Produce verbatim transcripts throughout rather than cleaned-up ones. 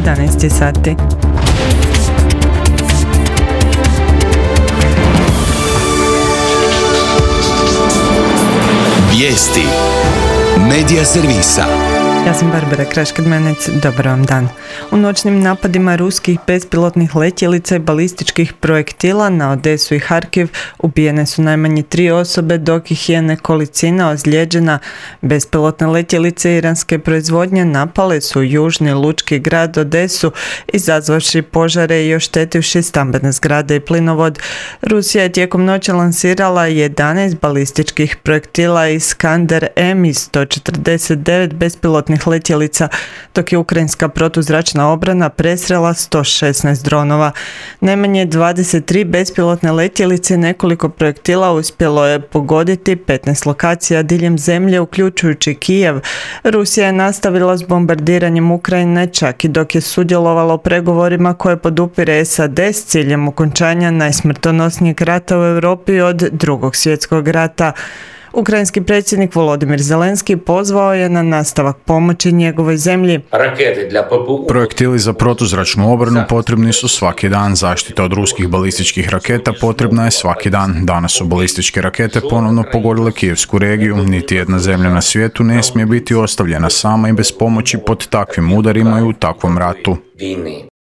jedanaest sati. Vijesti Medija servisa. Ja sam Barbara Kraš-Kidmanec, dobar vam dan. U noćnim napadima ruskih bespilotnih letjelica i balističkih projektila na Odesu i Harkiv ubijene su najmanje tri osobe, dok ih je nekolicina ozlijeđena. Bespilotne letjelice iranske proizvodnje napale su južni lučki grad Odesu, izazvavši požare i oštetivši stambene zgrade i plinovod. Rusija je tijekom noći lansirala jedanaest balističkih projektila Iskander M i sto četrdeset devet bespilotnih letjelica, dok je ukrajinska protuzračna obrana presrela sto šesnaest dronova. Najmanje dvadeset tri bespilotne letjelice i nekoliko projektila uspjelo je pogoditi petnaest lokacija diljem zemlje, uključujući Kijev. Rusija je nastavila s bombardiranjem Ukrajine čak i dok je sudjelovala u pregovorima koje podupire S A D s ciljem okončanja najsmrtonosnijeg rata u Europi od Drugog svjetskog rata. Ukrajinski predsjednik Volodimir Zelenski pozvao je na nastavak pomoći njegovoj zemlji. Projektili za protuzračnu obranu potrebni su svaki dan. Zaštita od ruskih balističkih raketa potrebna je svaki dan. Danas su balističke rakete ponovno pogodile Kijevsku regiju. Niti jedna zemlja na svijetu ne smije biti ostavljena sama i bez pomoći pod takvim udarima i u takvom ratu.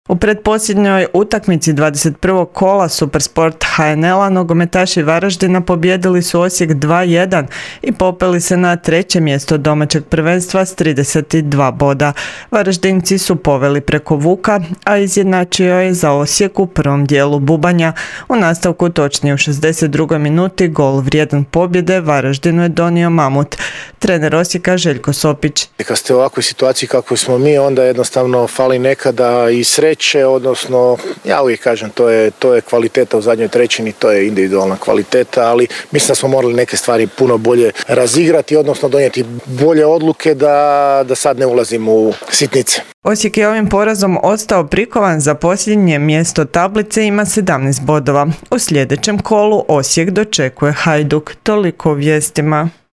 U pretposljednjoj utakmici dvadeset prvog kola Supersport H N L-a nogometaši Varaždina pobijedili su Osijek dva jedan i popeli se na treće mjesto domaćeg prvenstva s trideset dva boda. Varaždinci su poveli preko Vuka, a izjednačio je za Osijek u prvom dijelu Bubanja. U nastavku, točnije u šezdeset drugoj minuti, gol vrijedan pobjede Varaždinu je donio Mamut. Trener Osijeka Željko Sopić. Kad ste u ovakvoj situaciji kako smo mi, onda jednostavno fali nekada i sreće, odnosno ja uvijek kažem to je, to je kvaliteta u zadnjoj trećini, to je individualna kvaliteta, ali mislim da smo morali neke stvari puno bolje razigrati, odnosno donijeti bolje odluke da, da sad ne ulazimo u sitnice. Osijek je ovim porazom ostao prikovan za posljednje mjesto tablice, ima sedamnaest bodova. U sljedećem kolu Osijek dočekuje Hajduk. Toliko o vijestima.